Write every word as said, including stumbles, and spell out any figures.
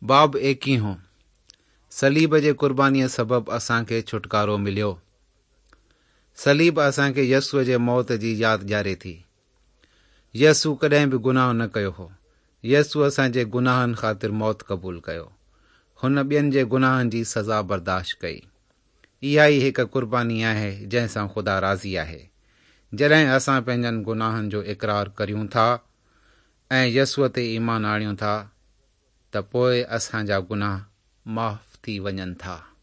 باب ايڪيهون، صليب جي قربانيء سبب اسان کي ڇوٽڪارو مليو. صليب اسان کي يسوع جي موت جي ياد ڏياري ٿي. يسوع ڪڏهن به گناهه نه ڪيو هو. يسوع اسان جي گناهن خاطر موت قبول ڪيو. هن ٻين جي گناهن جي سزا برداشت ڪئي. اها ئي هڪ قرباني آهي جنهن سان خدا راضي آهي. جڏهن اسان پنهنجن گناهن جو اقرار ڪريون ٿا ۽ يسوع تي ايمان آڻيون ٿا ته پوءِ اسان جا گناهه معاف ٿي وڃن ٿا.